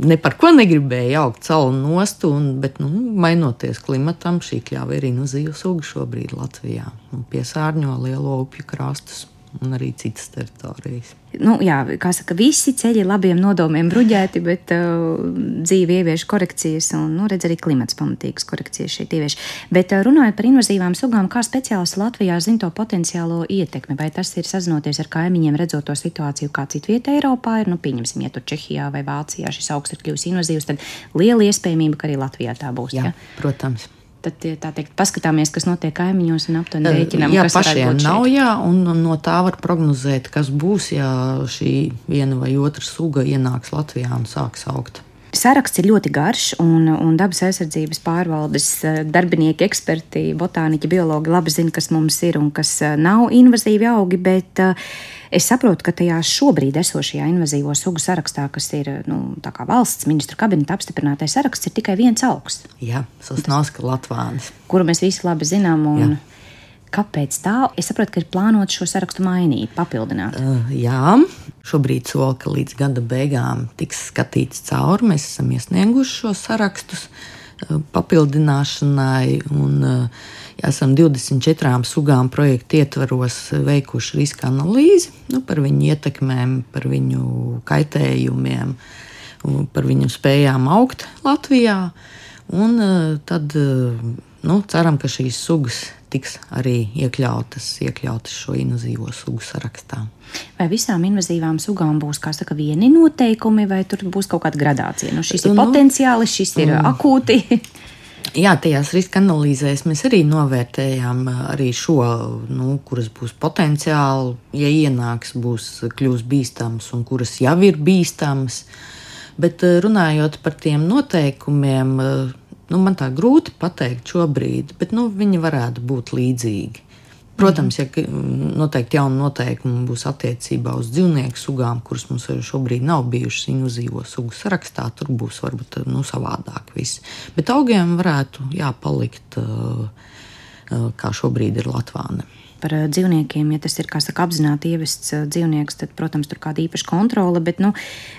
ne par ko negribēja augt salu nostu, bet, mainoties klimatam, šī kļāva ir invazīva suga šobrīd Latvijā un piesārņo lielo upju krastus un arī citas teritorijas. Kā saka, visi ceļi labiem nodomiem bruģēti, bet dzīve ievieš korekcijas un, redz, arī klimats pamatīgas korekcijas šeit ievieš. Bet runājot par invazīvām sugām, kā speciālisti Latvijā zina to potenciālo ietekmi? Vai tas ir sazinoties ar kaimiņiem, redzot to situāciju, kā citvieta Eiropā ir? Pieņemsim, ja tur Čehijā vai Vācijā šis augs ir kļuvis invazīvs, tad liela iespējamība, ka arī Latvijā tā būs. Jā, protams. Tad, tā teikt, paskatāmies, kas notiek kaimiņos un aptuveni rēķinām, kas pašiem nav, un no tā var prognozēt, kas būs, ja šī viena vai otra suga ienāks Latvijā un sāks augt. Saraksts ir ļoti garš, un dabas aizsardzības pārvaldes darbinieki, eksperti, botāniķi, biologi labi zina, kas mums ir un kas nav invazīvi augi, bet es saprotu, ka tajā šobrīd esošajā invazīvo sugu sarakstā, kas ir tā kā valsts ministru kabineta apstiprinātais saraksts, ir tikai viens augs. Jā, Sosnovska latvānis. Kuru mēs visi labi zinām. Un Kāpēc tā? Es saprotu, ka ir plānots šo sarakstu mainīt, papildināt. Jā, šobrīd sola, ka līdz gada beigām tiks skatīts cauri. Mēs esam iesnieguši šos sarakstus papildināšanai un esam 24 sugām projektu ietvaros veikuši riska analīzi par viņu ietekmēm, par viņu kaitējumiem, par viņu spējām augt Latvijā. Un tad ceram, ka šīs sugas tiks arī iekļautas šo invazīvo sugu sarakstā. Vai visām invazīvām sugām būs, kā saka, vieni noteikumi, vai tur būs kaut kāda gradācija? Šis ir potenciāli, šis ir akūti. Jā, tajās riska analīzēs mēs arī novērtējām arī šo, kuras būs potenciāli, ja ienāks, kļūs bīstams un kuras jau ir bīstams. Bet runājot par tiem noteikumiem, man tā grūti pateikt šobrīd, bet viņi varētu būt līdzīgi. Protams, ja noteikti jauni noteikumi būs attiecībā uz dzīvnieku sugām, kuras mums šobrīd nav bijušas invazīvo sugu sarakstā, tur būs varbūt savādāk viss. Bet augiem varētu palikt, kā šobrīd ir latvāne. Par dzīvniekiem, ja tas ir, kā saka, apzināti ievests dzīvnieks, tad, protams, tur kāda īpaša kontrole, bet,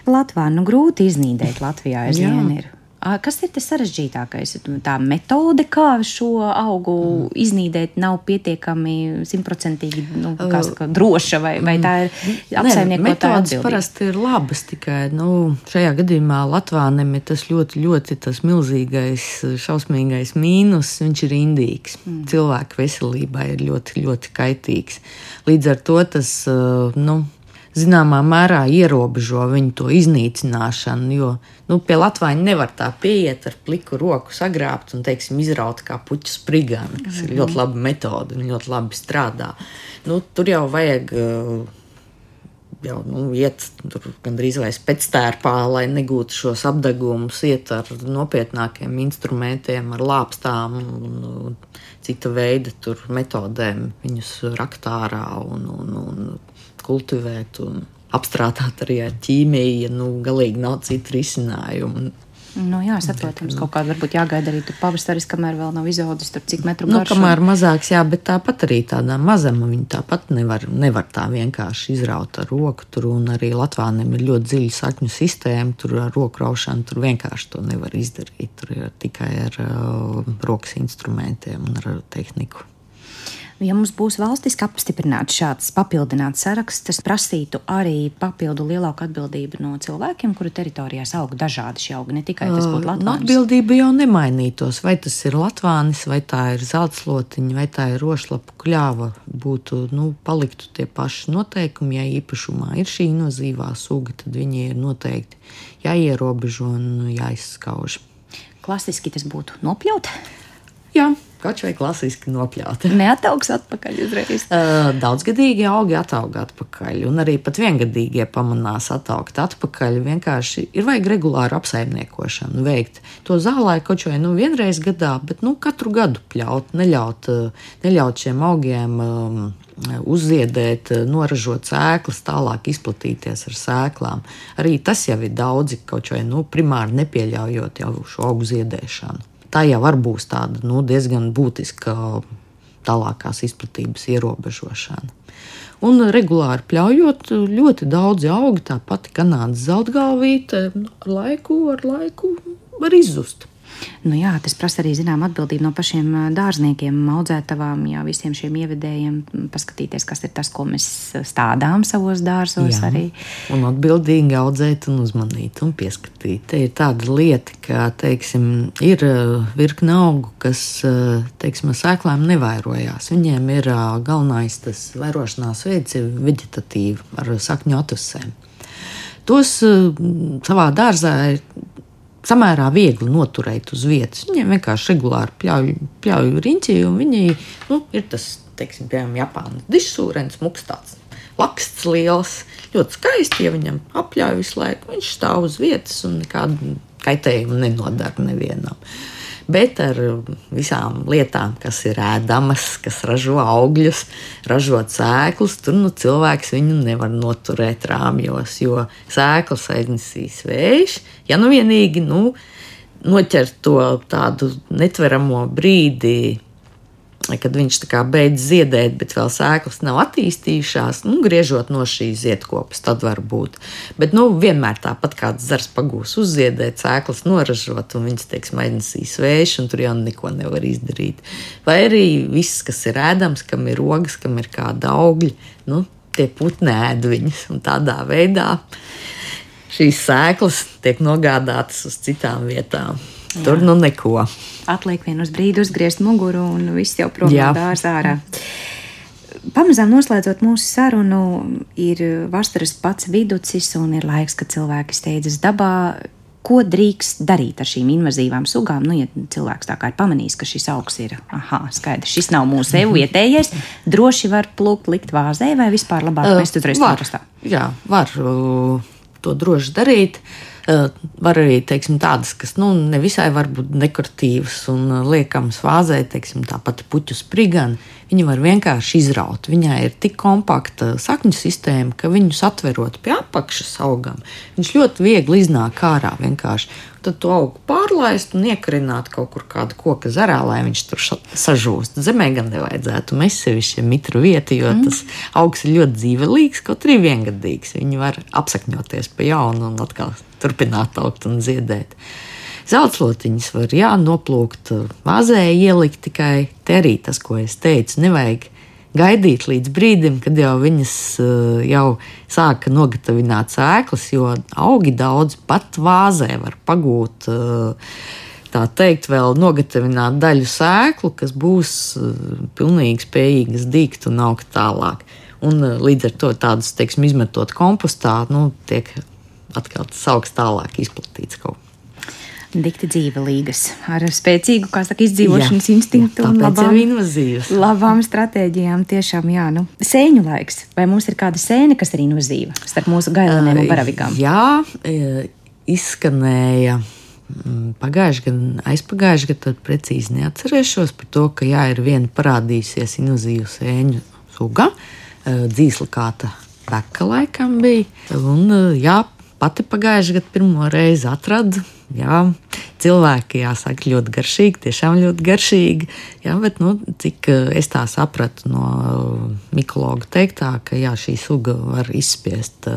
latvānu grūti iznīdēt Latvijā aizvien ir. Kas ir tas sarežģītākais? Tā metode, kā šo augu iznīdēt, nav pietiekami 100% droša, vai tā ir apsaimniekotāja atbildība? Metodes parasti ir labas, tikai šajā gadījumā latvānem ir tas ļoti, ļoti tas milzīgais, šausmīgais mīnus, viņš ir indīgs. Cilvēku veselībai ir ļoti, ļoti kaitīgs. Līdz ar to tas, zināmā mērā ierobežo viņu to iznīcināšanu, jo pie latvāņa nevar tā pieiet ar pliku roku sagrābt un, izraut kā puķu sprigani, kas ir ļoti laba metode un ļoti labi strādā. Tur jau vajag iet tur gandrīz vai spectērpā, lai negūtu šos apdegumus, iet ar nopietnākiem instrumentiem, ar lāpstām un cita veida tur metodēm viņus rakt ārā un kultivēt un apstrādāt arī ar ķīmiju, galīgi nav citu risinājumu. Jā, saprotams, kaut kādā varbūt jāgaida arī tur pavasaris, kamēr vēl nav izaudzis tur cik metru garš. Kamēr mazāks, bet tāpat arī tādā mazama viņa tāpat nevar tā vienkārši izraut ar roku tur, un arī latvāniem ir ļoti dziļa sakņu sistēma, tur ar roku raušanu tur vienkārši to nevar izdarīt, tur ir tikai ar rokas instrumentiem un ar tehniku. Ja mums būs valstiski apstiprināts šāds papildināts saraksts, tas prasītu arī papildu lielāku atbildību no cilvēkiem, kuru teritorijās aug dažādi šie augi, ne tikai tas būtu latvānis. Atbildība jau nemainītos, vai tas ir latvānis, vai tā ir zeltslotiņa, vai tā ir rošlapu kļāva, paliktu tie paši noteikumi, ja īpašumā ir šī invazīvā suga, tad viņi ir noteikti jāierobežo un jāizskauž. Klasiski tas būtu nopļaut? Jā. Kaut vai klasiski nopļaut. Neataugs atpakaļ uzreiz. Daudzgadīgi augi ataug atpakaļ, un arī pat viengadīgie pamanās ataugt atpakaļ. Vienkārši ir vajag regulāru apsaimniekošanu veikt. To zālāju kaut vai vienreiz gadā, bet katru gadu pļaut, neļaut šiem augiem uzziedēt, noražot sēklas, tālāk izplatīties ar sēklām. Arī tas jau ir daudzi, kaut vai primāri nepieļaujot jau šo augu ziedēšanu. Tā jau var būt tāda diezgan būtiska tālākās izplatības ierobežošana. Un regulāri pļaujot, ļoti daudzi augi, tā pati Kanādas zeltgalvīte, ar laiku var izzust. Jā, tas prasa arī zinām atbildību no pašiem dārzniekiem, audzētavām, visiem šiem ievedējiem, paskatīties, kas ir tas, ko mēs stādām savos dārzos arī. Un atbildīgi audzēt un uzmanīt un pieskatīt. Te ir tāda lieta, ka, ir virkne augu, kas, sēklām nevairojās. Viņiem ir galvenais tas vairošanās veids ir veģetatīvi ar sakņu atvasēm. Tos savā dārzā ir samērā viegli noturēt uz vietas. Viņiem vienkārši regulāri pļauj riņķī, un viņi ir tas, piemēram, Japānas dišsūrens, muks tāds laksts liels, ļoti skaisti, ja viņam apļauj visu laiku, viņš stāv uz vietas un nekādu kaitējumu nenodara nevienam. Bet ar visām lietām, kas ir ēdamas, kas ražo augļus, ražot sēklas, tur cilvēks viņu nevar noturēt rāmjos, jo sēklas aiznesīs vējš. Ja vienīgi noķer to tādu netveramo brīdi, kad viņš tā kā beidz ziedēt, bet vēl sēklas nav attīstījušās, griežot no šīs ziedkopas, tad var būt. Bet vienmēr tāpat kāds zars pagūs uzziedēt, sēklas noražot, un viņas, teiksim, aiznesīs vējš, un tur jau neko nevar izdarīt. Vai arī viss, kas ir ēdams, kam ir rogas, kam ir kāda augļi, tie putni ēd viņas, un tādā veidā šīs sēklas tiek nogādātas uz citām vietām. Jā. Tur neko. Atliek vien uz brīdi uzgriezt muguru un viss jau prom no dārza ārā. Pamazām noslēdzot mūsu sarunu, ir vasaras pats viducis un ir laiks, kad cilvēki steidzas dabā. Ko drīkst darīt ar šīm invazīvām sugām? Ja cilvēks tā kā ir pamanījis, ka šis augs ir, skaidrs, šis nav mūsu vietējais, droši var plūkt, likt vāzē vai vispār labāk mest uzreiz kompostā? Jā, var to droši darīt. Var arī, teiksim, tādas, kas nevisai var būt dekoratīvas un liekamas vāzē, teiksim, tā pati puķu sprigana. Viņa var vienkārši izraut. Viņai ir tik kompakta sakņu sistēma, ka viņus atverot pie apakšas augam, viņš ļoti viegli iznāk ārā vienkārši. Tad to augu pārlaist un iekarināt kaut kur kādu koka zarā, lai viņš tur sažūst. Zemē gan nevajadzētu mest sevišķi mitru vietu, jo tas augs ir ļoti dzīvelīgs, kaut arī viengadīgs. Viņi var apsakņoties pa jaunu un atkal turpināt augt un ziedēt. Zeltslotiņas var noplūkt vāzē, ielikt tikai te arī tas, ko es teicu, nevajag gaidīt līdz brīdim, kad jau viņas jau sāka nogatavināt sēklas, jo augi daudz pat vāzē var pagūt, tā teikt, vēl nogatavināt daļu sēklu, kas būs pilnīgi spējīgas dīgt un augt tālāk. Un līdz ar to tādus, teiksim, izmetot kompostā, tiek atkal tas augs tālāk izplatīts kaut kā. Dikti dzīvelīgas, ar spēcīgu, kā saka, izdzīvošanas instinktu un labām stratēģijām. Tiešām, Sēņu laiks. Vai mums ir kāda sēne, kas ir invazīva starp mūsu gailenēm un baravigām? Jā, izskanēja aizpagājuši gadu, tad precīzi neatcerēšos par to, ka ir viena parādījusies invazīvu sēņu suga, dzīslakāta beka laikam bija, un pati pagājuši gadu pirmo reizi atradu. Cilvēki, jāsaka, ļoti garšīgi, tiešām ļoti garšīgi. Bet, cik es tā sapratu no mikologa teiktā, ka šī suga var izspiest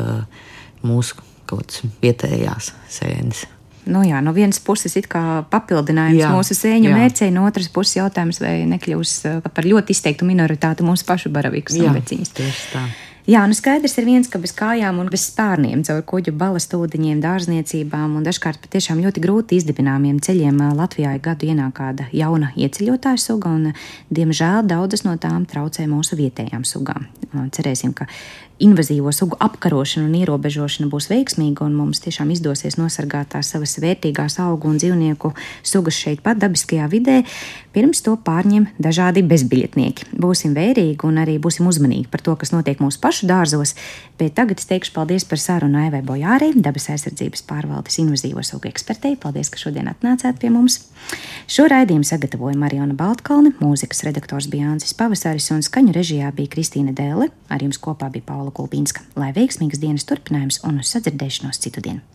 mūsu kaut kādas vietējās sēnes. No vienas puses it kā papildinājums mūsu sēņu mērcei, no otras puses jautājums, vai nekļūs par ļoti izteiktu minoritāti mūsu pašu baravikus un veciņas. Tieši tā. Skaidrs ir viens, ka bez kājām un bez spārniem caur kuģu balastūdeņiem, dārzniecībām un dažkārt patiešām ļoti grūti izdibināmiem ceļiem Latvijā gadu ienāk kāda jauna ieceļotāja suga, un, diemžēl, daudzas no tām traucē mūsu vietējām sugām. Cerēsim, ka invazīvo sugu apkarošana un ierobežošana būs veiksmīga, un mums tiešām izdosies nosargāt tās savas vērtīgās augu un dzīvnieku sugas šeit pat dabiskajā vidē, pirms to pārņem dažādi bezbiļetnieki. Būsim vērīgi un arī būsim uzmanīgi par to, kas notiek mūsu pašu dārzos, bet tagad es teikšu paldies par sarunu Aivai Bojārei, dabas aizsardzības pārvaldes invazīvo sugu ekspertei. Paldies, ka šodien atnācāt pie mums. Šo raidījumu sagatavoja Mariona Baltkalne, mūzikas redaktors bija Jānis Pavasaris un skaņu režijā bija Kristīna Dēle. Ar jums kopā bija Paula Kulbīnska. Lai veiksmīgas dienas turpinājums un uz sadzirdēšanos citu dienu.